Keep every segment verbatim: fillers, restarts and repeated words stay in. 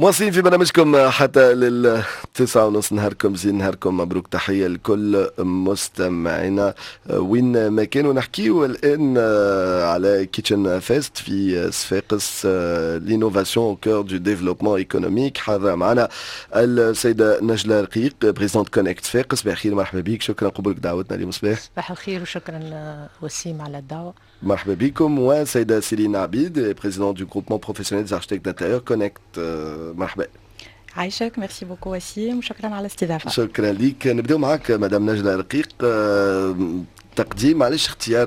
مواصلين في برنامجكم حتى للتسعة ونص. نهاركم زين، نهاركم مبروك، تحية لكل مستمعينا وين ما كانوا. نحكيو الآن على Kitchen Fest في صفاقس، l'innovation au cœur du développement économique. حاضرة معنا السيدة نجلة رقيق، présidente CONECT صفاقس. بخير، مرحبا بك، شكرا قبولك دعوتنا اليوم صباح. صباح الخير وشكرا وسيم على الدعوة. مرحبا بكم. وسيدة سيرين عبيد، présidente du groupement professionnel des architectes d'intérieur CONECT، مرحبا. عايشك، merci beaucoup وسيم وشكرا على الاستضافه. شكرا لك. نبداو معك مدام نجلة رقيق، تقديم علاش اختيار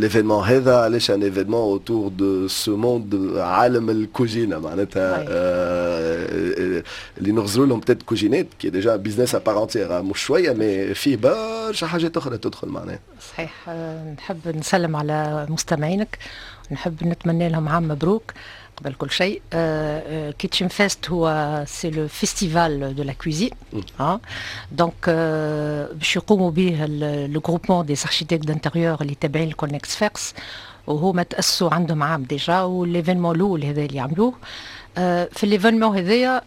l'événement هذا، علاش un événement autour de ce monde، عالم الكوجينه معناتها آه اللي نغزروا لهم peut-être كوجينات qui est déjà business à part entière، مش شويه، mais فيه برشا حاجات اخرى تدخل معناها. صحيح، نحب نسلم على مستمعينك، نحب نتمنى لهم عام مبروك قبل كل شيء. Kitchen Fest هو c'est le festival de la cuisine، donc باش يقوموا به le groupement des architectes d'intérieur اللي تابعين ال CONECT صفاقس، وهما تاسسوا عندهم عام déjà، و l'événement الاول هذا اللي عملوه. في l'événement هذايا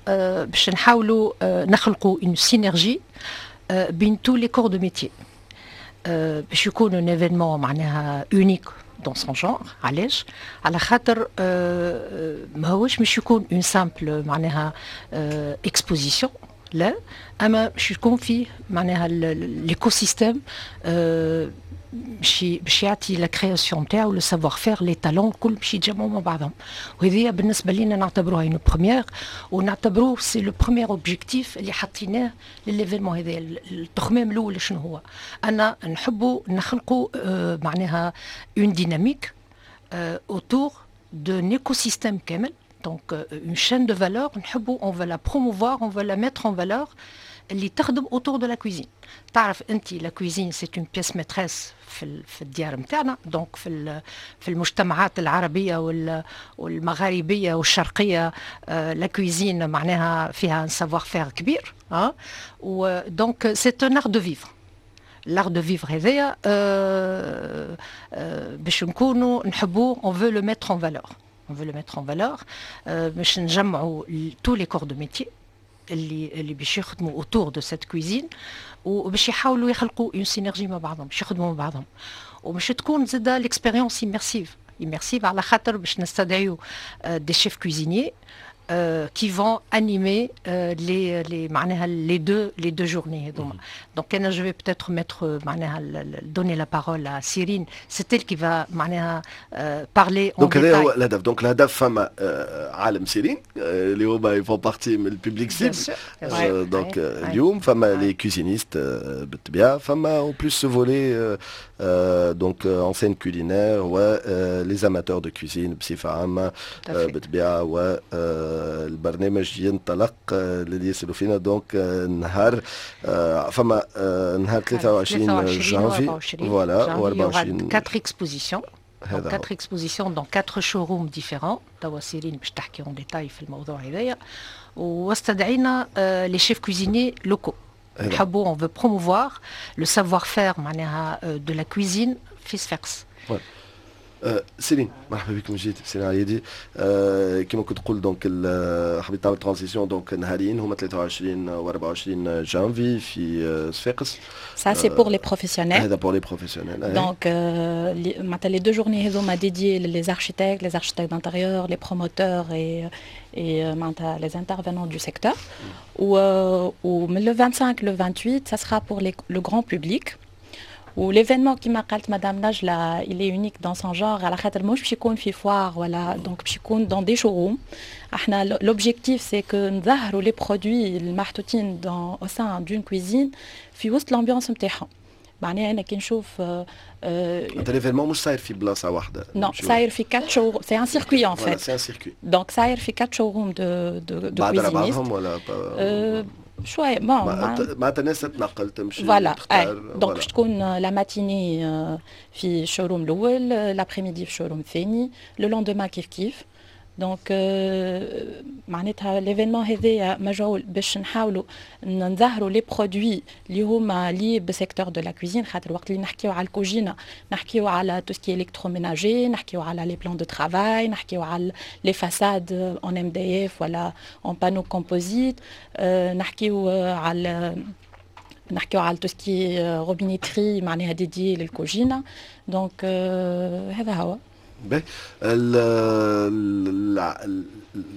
باش نحاولوا نخلقوا une synergie بين tous les corps de métier، باش يكون un événement معناها unique dans son genre. علاش؟ على خاطر ماهوش مش يكون une simple معناها exposition، لا، اما باش يكون فيه معناها l'écosystème باش باش يعطي la création نتاعو، le savoir-faire، les talents الكل باش يتجمعوا مع بعضهم. وهذه بالنسبة لنا نعتبروها une première، ونعتبروه c'est le premier objectif اللي حطيناه ل l'événement هذا. التخمام الاول شنو هو؟ انا نحبوا نخلقوا معناها une dynamique autour d'un écosystème كامل، donc une chaîne de valeur نحبوا on veut la promouvoir، on veut la mettre en valeur، اللي تخدم autour de la cuisine. تعرف انت la cuisine c'est une pièce maîtresse في في الديار نتاعنا، donc في في المجتمعات العربية والمغاربيه والشرقيه la cuisine معناها فيها un savoir-faire كبير، اه و donc c'est un art de vivre. l'art de vivre هذايا باش نكونوا نحبوه، on veut le mettre en valeur، on veut le mettre en valeur باش نجمعوا tous les corps de métier اللي اللي باش يخدموا autour de cette cuisine، وباش يحاولوا يخلقوا une synergie مع بعضهم، باش يخدموا مع بعضهم، وباش تكون زاده l'expérience immersive immersive على خاطر باش نستدعيو des chefs cuisiniers qui vont animer euh, les, les, معناها les deux les deux journées هذوما. Donc انا je vais peut-être mettre معناها donner la parole à Cyrine، c'est elle qui va معناها parler en donc هذا هو الهدف. donc الهدف فما عالم سيرين اللي هما ils font partie من ال public cible، donc اليوم فما les cuisinistes بالطبيعه، فما en plus ce volet donc enseigne culinaire و les amateurs de cuisine بصفة عامة بالطبيعه. و البرنامج ينطلق للي يسألوا فينا، donc نهار فما نهار ثلاثة وعشرين جانفي voilà و أربعة وعشرين. quatre expositions، quatre expositions dans quatre showrooms différents. توا سيرين باش تحكي en détail في الموضوع هذايا. واستدعينا les chefs cuisiniers locaux، نحبوا on veut promouvoir le savoir-faire معناها de la cuisine في صفاقس. آه سيرين، مرحبا بكم جيت سيرين عيدي. آه كما كنت تقول، donc حبيت تعمل transition، donc نهارين هما ثلاثة وعشرين و أربعة وعشرين جانفي في صفاقس. Ça c'est pour les professionnels. هذا pour les professionnels. Donc euh, les, les deux journées هذوما dédiées les architectes, les architectes d'intérieur, les promoteurs et et euh, les intervenants du secteur. و, و le vingt-cinq le vingt-huit ça sera pour les, le grand public. و l'événement كيما قالت madame Najla، il est unique dans son genre على خاطر مش باش يكون في foire ولا، donc باش يكون dans des showrooms. احنا l'objectif c'est que نظهروا les produits المحطوطين dans au sein d'une cuisine في وسط l'ambiance نتاعهم. معناها انا كي نشوف انت l'événement مش صاير في بلاصة واحده؟ non، صاير في quatre show، c'est un circuit en fait. c'est un circuit. donc صاير في quatre showrooms de de de بعد بعضهم ولا؟ شوية bon. معناتها الناس تتنقل، تمشي. voilà، donc باش تكون la matinée في ال showroom الاول، l'après-midi في ال showroom الثاني، le lendemain كيف كيف. donc معناتها l'événement هذايا مجعول باش نحاولوا نظهروا les produits اللي هما liés ب secteur de la cuisine، خاطر وقت اللي نحكيو على الكوجينه نحكيو على tout ce qui est électroménager، نحكيو على les plans de travail، نحكيو على les façades en MDF ولا en panneaux composites، نحكيو على نحكيو على tout ce qui est robinetterie معناها dédiée للكوجينه. donc هذا هو. باهي،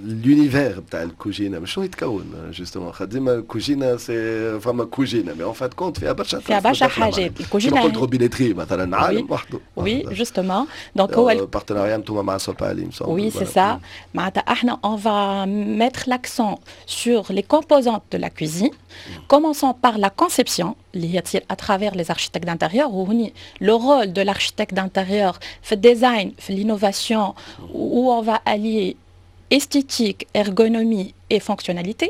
l'univers بتاع الكوجينه شنو يتكون justement؟ خاطر ديما الكوجينه c'est فما كوجينه، mais en fin de compte فيها برشا فيها برشا حاجات. الكوجينه قلت robinetterie مثلا، عالم وحده. oui justement، donc هو partenariat انتم مع سوبالي. oui c'est ça، معناتها احنا on va mettre l'accent sur les composantes de la cuisine, commençons par la conception اللي هي تصير à travers les architectes d'intérieur. وهوني le rôle de l'architecte d'intérieur في ال design، في l'innovation، où on va allier esthétique, ergonomie et fonctionnalité.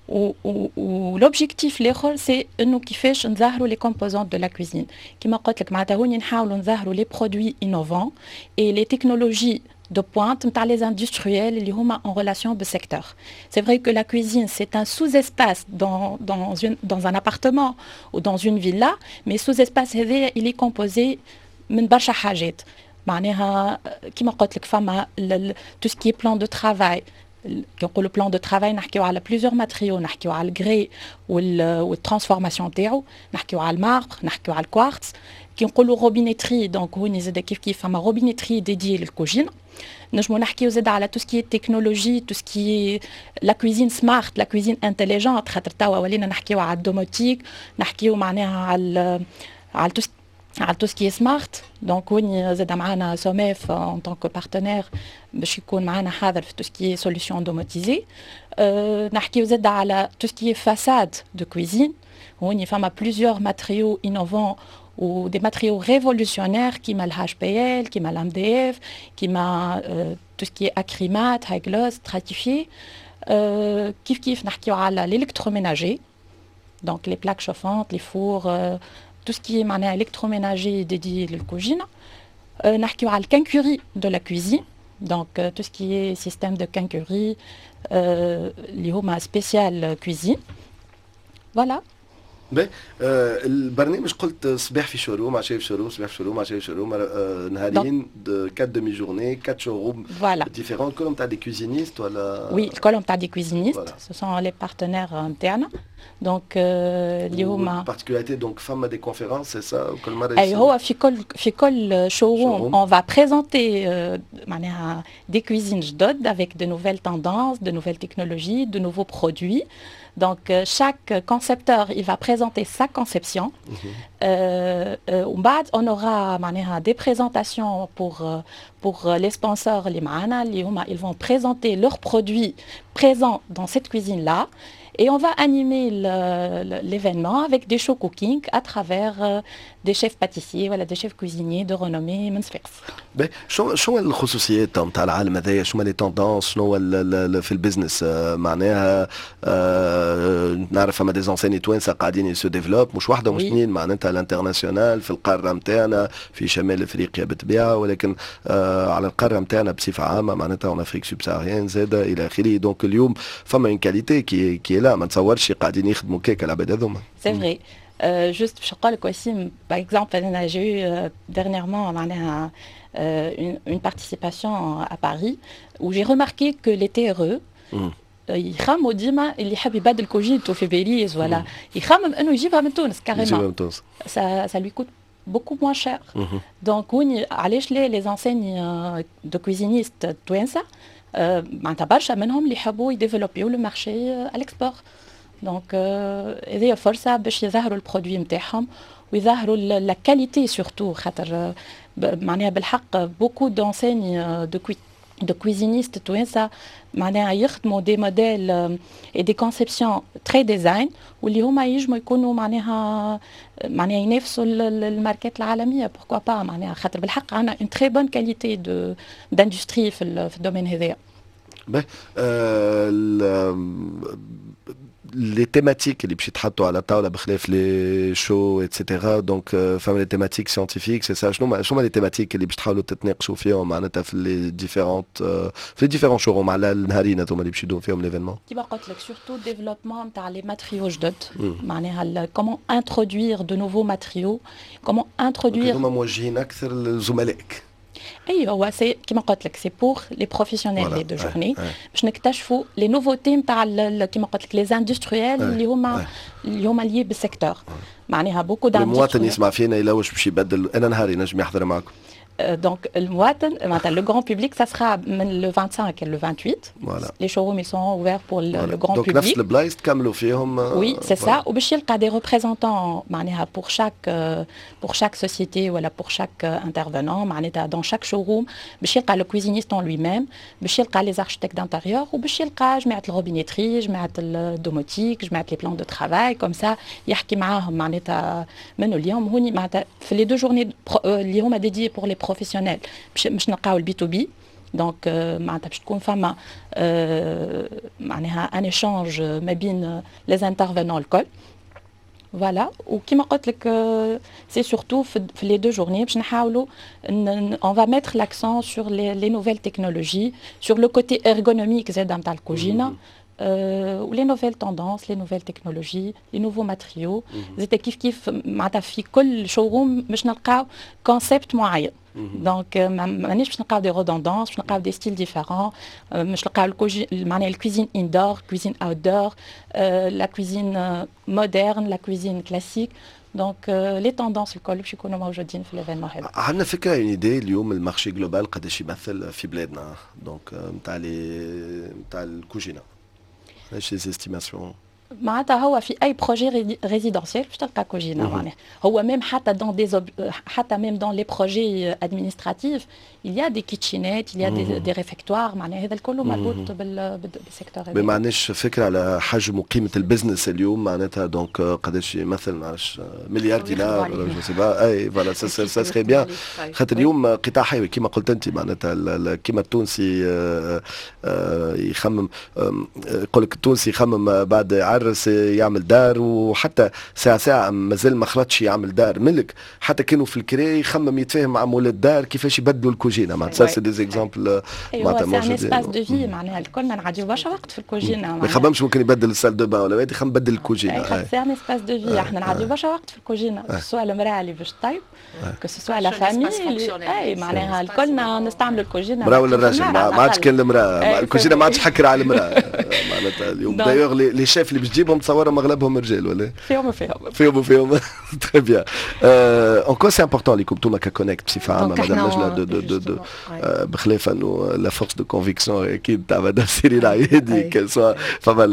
و l'objectif الاخر c'est انه كيفاش نظهروا les composantes de la cuisine. كيما قلت لك، معناتها هوني نحاولوا نظهروا les produits innovants et les technologies de pointe نتاع les industriels اللي هما en relation بال secteur. C'est vrai que la cuisine c'est un sous-espace dans dans une dans un appartement ou dans une villa, mais sous-espace هذا il est composé من برشا حاجات. معناها كيما قلت لك، فما tout ce qui est plan de travail. كي نقولوا plan de travail نحكيو على plusieurs matériaux، نحكيو على ال grès وال transformation تاعو، نحكيو على ال marbre، نحكيو على الكوارتز. كي نقولوا robinetterie، donc هوني زاد كيف كيف فما robinetterie dédiée للكوجينه. نجمو نحكيو زاد على tout ce qui est technologie، tout ce qui est la cuisine smart، la cuisine intelligente، خاطر توا ولينا نحكيو على ال domotique، نحكيو معناها على على tout على tout ce qui est smart. donc وين زاد معانا سوميف en tant que partenaire باش يكون معانا حاضر في tout ce qui est solutions domotisées. نحكيو زاد على tout ce qui est façade de cuisine، هوني فما plusieurs matériaux innovants ou des matériaux révolutionnaires كيما ال HPL، كيما l'MDF، كيما euh, tout ce qui est acrimat, high gloss, stratifié. Euh, كيف كيف نحكيو على l'électroménager، donc les plaques chauffantes، les fours، euh, tout ce qui est معناها électroménager dédié للكوجينة. euh, نحكيو على ال quincaillerie de la cuisine، donc euh, tout ce qui est système de quincaillerie اللي هما spécial cuisine. voilà. باهي، آه البرنامج قلت صباح في showroom، عشية في showroom، صباح في showroom، عشية في showroom، آه نهارين، quatre demi-journées، quatre showrooms différents، كلهم تاع des cuisinistes ولا؟ oui، كلهم تاع des cuisinistes، ce sont les partenaires نتاعنا. donc اللي هما particularité، donc فما des conférences، c'est ça؟ كل مره؟ اي، هو في كل في كل showroom on va présenter معناها des cuisines جدد avec de nouvelles tendances، de nouvelles technologies، de nouveaux produits. Donc, euh, chaque concepteur, il va présenter sa conception. ومن بعد on aura معناها des présentations pour, pour les sponsors اللي معانا، اللي هما ils vont présenter leurs produits présents dans cette cuisine-là. Et on va animer l'événement avec des show cooking à travers des chefs pâtissiers، voilà، des chefs cuisiniers de renommée من صفاقس. شو شو الخصوصيات نتاع العالم هذايا؟ شو les tendances؟ شنو في ال business؟ معناها نعرف فما des enseignes توانسه قاعدين se développent، مش واحده مش اثنين، معناتها l'international، في القاره نتاعنا، في شمال افريقيا بالطبيعه، ولكن على القاره نتاعنا بصفه عامه، معناتها en Afrique subsaharienne زاده الى اخره. donc اليوم فما une qualité qui qui est là، ما نتصورش قاعدين يخدموا كيك العباد هذوما. c'est vrai. juste باش نقول لك وسيم، par exemple انا j'ai eu dernièrement معناها une, une participation à Paris où j'ai remarqué que les T R E يخموا ديما، اللي يحب يبدل كوجينتو في باريس ولا يخمم انه يجيبها من تونس carrément، يجيبها من تونس. ça ça lui coûte beaucoup moins cher. Donc وين علاش les les enseignes de cuisinistes توانسه، معناتها برشا منهم اللي يحبوا يديفلوبيو le marché à l'export. donc هذه فرصه باش يظهروا ال produit نتاعهم ويظهروا la qualité surtout، خاطر معناها بالحق beaucoup d'enseignes de cui de cuisinistes توانسه معناها يخدموا des modèles et des conceptions très design، واللي هما ينجموا يكونوا معناها معناها ينافسوا الماركات العالميه، pourquoi pas، معناها خاطر بالحق عندنا une très bonne qualité de d'industrie في في ال domaine هذايا. باهي، آه les thématiques اللي باش يتحطوا على الطاولة بخلاف les shows et cetera، donc فما les thématiques scientifiques، c'est ça؟ شنو شنو les thématiques اللي باش تحاولوا تتناقشوا فيهم معناتها في les différentes في les différents showrooms على النهارين هذوما اللي باش يدوم فيهم l'événement؟ كيما قلت لك، surtout développement نتاع les matériaux جدد، معناها comment introduire de nouveaux matériaux، comment introduire هذوما موجهين اكثر لزملائك. اي، هو c'est كيما قلت لك، c'est pour les professionnels les deux journées، باش نكتشفوا les nouveautés نتاع كيما قلت لك les industriels اللي هما اللي هما liés بال secteur، معناها beaucoup. المواطن يسمع فينا يلوج باش يبدل، انا نهار ينجم يحضر معكم؟ Donc المواطن معناتها le grand public، ça sera من le vingt-cinq le vingt-huit. Voilà. Les showrooms، ils sont ouverts pour le, voilà. le grand Donc public. نفس البلايص تكملوا فيهم؟ Oui، c'est ça. وباش يلقى des représentants معناها pour chaque pour chaque société ولا pour chaque intervenant، معناتها dans chaque showroom باش يلقى le cuisiniste en lui-même، باش يلقى les architectes d'intérieur، وباش يلقى جماعة ال robinetterie، جماعة ال domotique، جماعة les plans de travail، comme ça يحكي معاهم معناتها منه اليوم هوني معناتها في les deux journées اللي هما dédiées pour les professionnels باش باش نلقاو ال B to B. donc معناتها باش تكون فما معناها un échange ما بين les intervenants الكل، voilà. وكما قلت لك، c'est surtout في les deux journées باش نحاولوا on va mettre l'accent sur les, les nouvelles technologies، sur le côté ergonomique زاد نتاع الكوجينه و les nouvelles tendances، les nouvelles technologies، les nouveaux matériaux. زاد كيف كيف معناتها في كل showroom باش نلقاو concept معين، donc مانيش باش نلقاو des redondances، باش نلقاو des styles différents، باش نلقاو معناها ال cuisine indoor، cuisine outdoor، la cuisine moderne، la cuisine classique، donc les tendances الكل باش يكونوا موجودين في l'événement هذا. عندنا فكره، une idée، اليوم ال marché global قداش يمثل في بلادنا، donc نتاع les نتاع الكوجينه؟ علاش les estimations؟ معناتها هو في اي projet résidentiel باش تلقى كوجينه، معناها هو même حتى dans des حتى même dans les projets administratifs il y a des kitchenettes، il y a des, des réfectoires، معناها هذا الكل مربوط بال secteur. ما عندناش فكرة على حجم وقيمه ال business اليوم معناتها، donc قداش يمثل؟ ما نعرفش، مليار دينار، je sais pas. اي voilà، ça serait bien، خاطر اليوم قطاع حيوي كما قلت انت، معناتها كما التونسي يخمم، يقول لك التونسي يخمم بعد يعرس يعمل دار، وحتى ساعة ساعة مازال ما خلطش يعمل دار ملك، حتى كانوا في الكري يخمم يتفاهم مع مول الدار كيفاش يبدلوا الكوجينه، معناتها c'est des exemples. معناتها موجودين، c'est un espace de vie، معناها الكلنا نعديو برشا وقت في الكوجينه. ما يخممش ممكن يبدل ال salle de bain ولا يخمم يبدل الكوجينه. c'est un espace de vie، احنا نعديو برشا وقت في الكوجينه، que ce soit المراة اللي باش طيب، que ce soit la famille، اي معناها الكلنا نستعملوا الكوجينه. المراة ولا الراجل، ما عادش كان المراة، الكوجينه ما عادش حكر على المراة معناتها اليوم. d'ailleurs les chefs اللي باش تجيبهم تصورهم اغلبهم رجال ولا؟ فيهم وفيهم. فيهم وفيهم، très bien. en quoi c'est important ليكم انتوما ك Connect بصفة عامه، مدام نجله، de de de, de بخلاف انه la force de conviction اكيد تاع مدام سيرين عيادي، que ce soit فما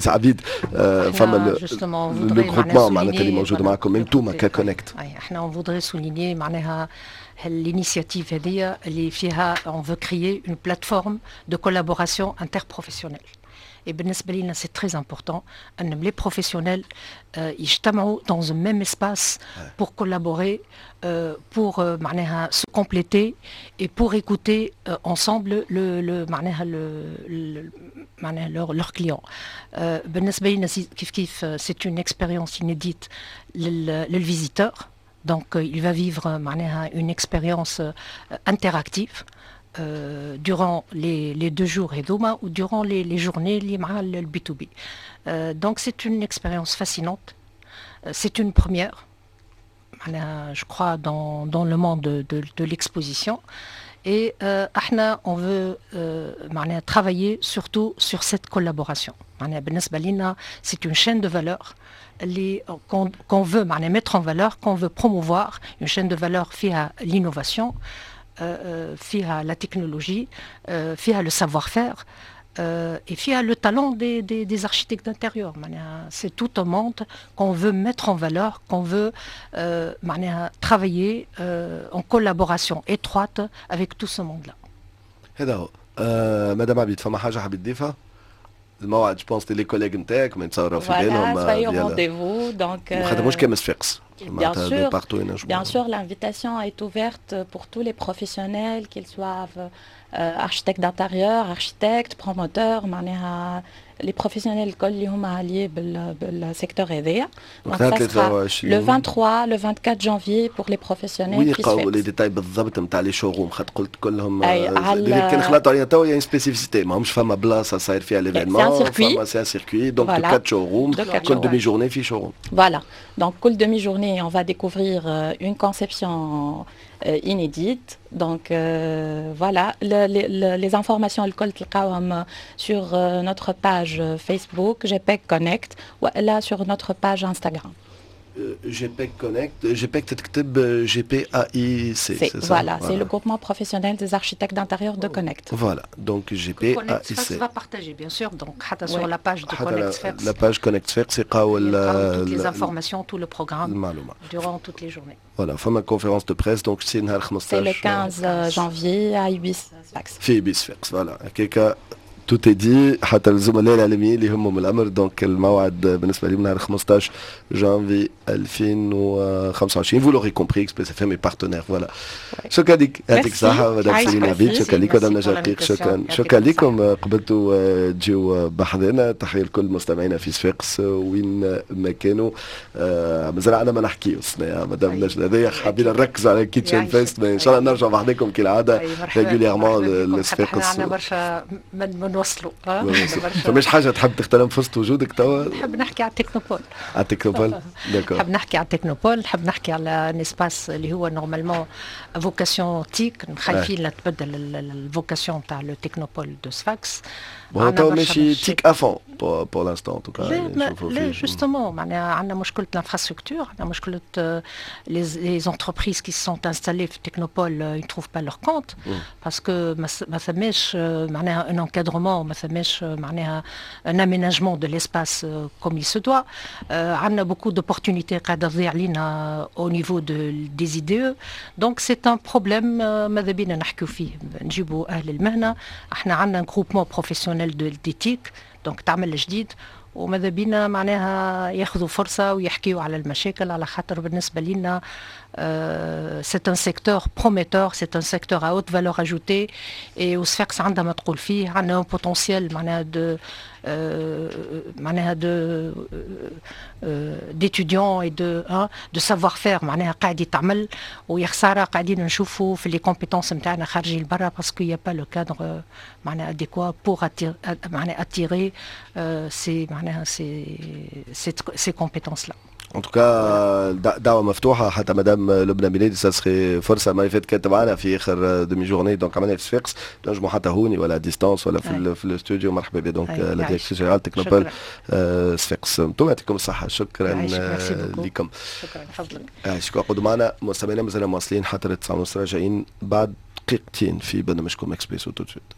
عبيد، فما le groupement معناتها اللي موجود معكم انتوما ك Connect؟ احنا on voudrait souligner معناها l'initiative هذه اللي فيها on veut créer une plateforme de collaboration interprofessionnelle. Et بالنسبة لنا c'est très important أن les professionnels يجتمعوا dans un même espace pour collaborer، pour معناها se compléter et pour écouter ensemble le, le معناها le, معناها leur, leurs clients. بالنسبة لنا كيف كيف c'est une expérience inédite لل visiteur. Donc il va vivre معناها une expérience interactive euh, durant les, les deux jours هذوما ou durant les, les journées اللي مع ال B to B. Euh, donc c'est une expérience fascinante. Euh, c'est une première، je crois، dans, dans le monde de, de, de l'exposition. Et euh, احنا on veut euh, travailler surtout sur cette collaboration. C'est une chaîne de valeur qu'on qu'on veut mettre en valeur، qu'on veut promouvoir، une chaîne de valeur فيها l'innovation، فيها la technologie، فيها le savoir-faire et فيها le talent des, des, des architectes d'intérieur. C'est tout un monde qu'on veut mettre en valeur، qu'on veut euh, travailler euh, en collaboration étroite avec tout ce monde-là. هذا هو. آه مدام عبيد، فما حاجة حبيت تضيفها؟ الموعد، je pense les collègues نتاعك ما يتصوروا في بالهم. Voilà، rendez-vous donc. خاطر مش كان صفاقس. Bien sûr, bien sûr, l'invitation est ouverte pour tous les professionnels، qu'ils soient architectes d'intérieur، architectes، promoteurs، معناها les professionnels الكل اللي هما liés بال secteur هذايا. donc le vingt-trois، le vingt-quatre janvier pour les professionnels. وين يلقاو les détails بالضبط نتاع les showrooms؟ خاطر قلت كلهم اللي كان خلطوا علينا توا يعني spécificité، ماهمش فما بلاصة صاير فيها l'événement، فما c'est un circuit، donc quatre showrooms، كل demi-journée في showroom. voilà، donc كل demi-journée on va découvrir une conception inédite. Donc euh, voilà, le, le, les informations الكل تلقاوهم sur notre page Facebook GPEC Connect ولا sur notre page Instagram. GPEC Connect، GPEC تتكتب G P A I C. C'est ça؟ Voilà, c'est le groupement professionnel des architectes d'intérieur de Connect. Voilà, donc G P A I C. Sfax va partager bien sûr, donc حتى sur la page de Connect Sfax. La page Connect Sfax يلقاو toutes les informations، tout le programme durant toutes les journées. Voilà، فما conférence de presse donc c'est نهار خمسطاش. C'est le quinze janvier à Ibis Sfax. في Ibis Sfax، voilà. هكاكا tout est dit. حتى الزملاء الاعلاميين اللي يهمهم الامر، donc الموعد بالنسبة لهم نهار خمسطاش جانفي ألفين وخمسة وعشرين. vous l'aurez compris، Express FM est partenaire، voilà. شكرا لك، يعطيك الصحة مدام سيرين عبيد، شكرا لك مدام نجاة رقيق، شكرا شكرا لكم قبلتوا تجيو بحذنا. تحية لكل مستمعينا في صفاقس وين ما كانوا. مازال عندنا ما نحكيو مدام نجلاء، هذايا حابين نركزوا على Kitchen Fest. ان شاء الله نرجع بحذاكم كالعادة régulièrement لصفاقس. عندنا برشا من نوصلوا. فماش حاجة تحب تغتنم فرصة وجودك توا؟ نحب نحكي على ال technopole. على ال technopole، d'accord. نحب نحكي على ال technopole، نحب نحكي على un espace اللي هو normalement vocation TIC، خايفين لا تبدل ال vocation تاع le technopole de Sfax. هو تو ماشي TIC à fond pour l'instant en tout cas. لا لا، justement معناها عندنا مشكلة ال infrastructure، عندنا مشكلة les entreprises qui sont installées في ال technopole، ils trouvent pas leur compte parce que ما ثماش معناها un encadrement، ما ثماش معناها un aménagement de l'espace comme il se doit. عندنا beaucoup d'opportunités قاعدة تضيع علينا au niveau de des I D E، donc c'est un problème ماذا بينا نحكيو فيه، نجيبوا اهل المهنه. احنا عندنا groupement professionnel de des TIC، donc تعمل جديد، وماذا بينا معناها ياخذوا فرصة ويحكيوا على المشاكل، على خاطر بالنسبة لنا c'est un secteur prometteur، c'est un secteur à haute valeur ajoutée et وصفاقس عندها ما تقول فيه. عندنا un potentiel معناها de معناها de d'étudiants et de de savoir-faire معناها قاعد يتعمل، ويا خسارة قاعدين نشوفوا في les compétences نتاعنا خارجين لبرا parce qu'il y a pas le cadre معناها adéquat pour معناها attirer ces معناها ces ces compétences-là. en tout cas دعوه مفتوحه، حتى مدام لبنى ميلادي ça serait فرصه، ما فات كانت معنا في اخر demi-journée، donc عملنا في صفاقس، نجموا حتى هوني ولا à distance ولا في, في الاستوديو. مرحبا بك donc la directrice générale technopole صفاقس. انتم يعطيكم الصحه، شكرا لكم. شكرا، تفضل. شكرا. قعدوا معنا مستمعينا، مازلنا مواصلين حتى التسعة ونص، راجعين بعد دقيقتين في برنامجكم Expresso tout de suite.